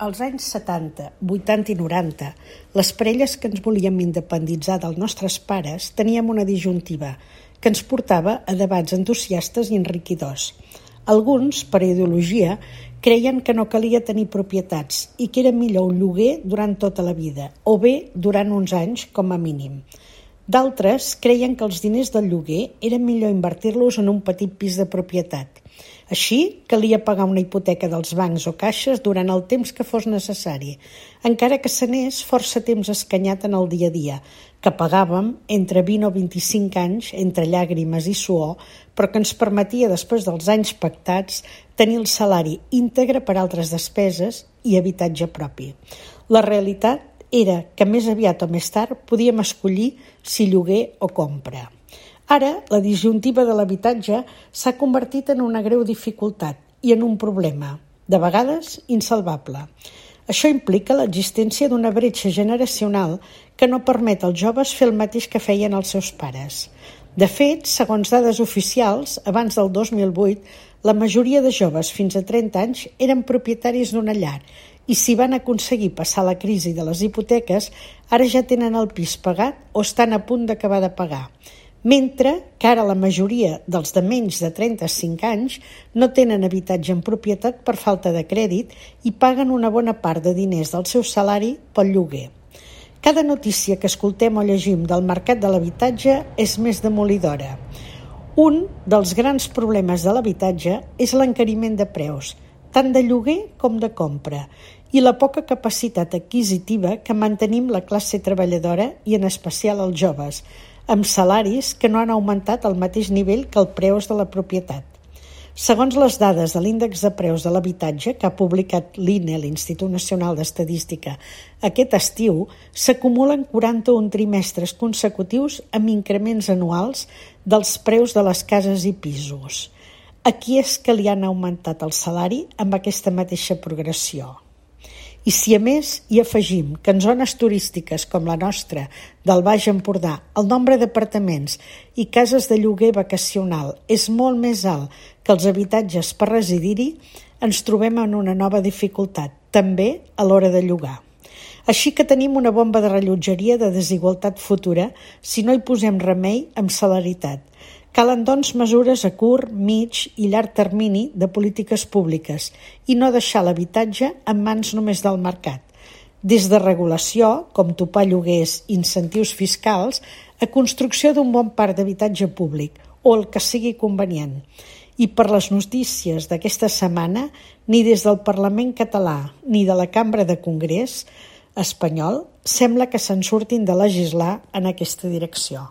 Als anys 70, 80 i 90, les parelles que ens volíem independitzar dels nostres pares teníem una disjuntiva que ens portava a debats entusiastes i enriquidors. Alguns, per ideologia, creien que no calia tenir propietats i que era millor un lloguer durant tota la vida, o bé durant uns anys com a mínim. D'altres creien que els diners del lloguer era millor invertir-los en un petit pis de propietat. Així, calia pagar una hipoteca dels bancs o caixes durant el temps que fos necessari, encara que s'anés força temps escanyat en el dia a dia, que pagàvem entre 20 o 25 anys entre llàgrimes i suor, però que ens permetia, després dels anys pactats, tenir el salari íntegre per altres despeses i habitatge propi. La realitat era que més aviat o més tard podíem escollir si lloguer o compra. Ara, la disjuntiva de l'habitatge s'ha convertit en una greu dificultat i en un problema, de vegades insalvable. Això implica l'existència d'una bretxa generacional que no permet als joves fer el mateix que feien els seus pares. De fet, segons dades oficials, abans del 2008, la majoria de joves fins a 30 anys eren propietaris d'una llar i si van aconseguir passar la crisi de les hipoteques, ara ja tenen el pis pagat o estan a punt d'acabar de pagar. Mentre que ara la majoria dels de menys de 35 anys no tenen habitatge en propietat per falta de crèdit i paguen una bona part de diners del seu salari pel lloguer. Cada notícia que escoltem o llegim del mercat de l'habitatge és més demolidora. Un dels grans problemes de l'habitatge és l'encariment de preus, tant de lloguer com de compra, i la poca capacitat adquisitiva que mantenim la classe treballadora i en especial els joves, amb salaris que no han augmentat al mateix nivell que els preus de la propietat. Segons les dades de l'índex de preus de l'habitatge que ha publicat l'INE, l'Institut Nacional d'Estadística, aquest estiu, s'acumulen 41 trimestres consecutius amb increments anuals dels preus de les cases i pisos. A qui és que li han augmentat el salari amb aquesta mateixa progressió? I si a més hi afegim que en zones turístiques com la nostra, del Baix Empordà, el nombre d'apartaments i cases de lloguer vacacional és molt més alt que els habitatges per residir-hi, ens trobem en una nova dificultat, també a l'hora de llogar. Així que tenim una bomba de rellotgeria de desigualtat futura si no hi posem remei amb celeritat. Calen, doncs, mesures a curt, mig i llarg termini de polítiques públiques i no deixar l'habitatge en mans només del mercat. Des de regulació, com topar lloguers i incentius fiscals, a construcció d'un bon parc d'habitatge públic o el que sigui convenient. I per les notícies d'aquesta setmana, ni des del Parlament català ni de la Cambra de Congrés espanyol sembla que se'n surtin de legislar en aquesta direcció.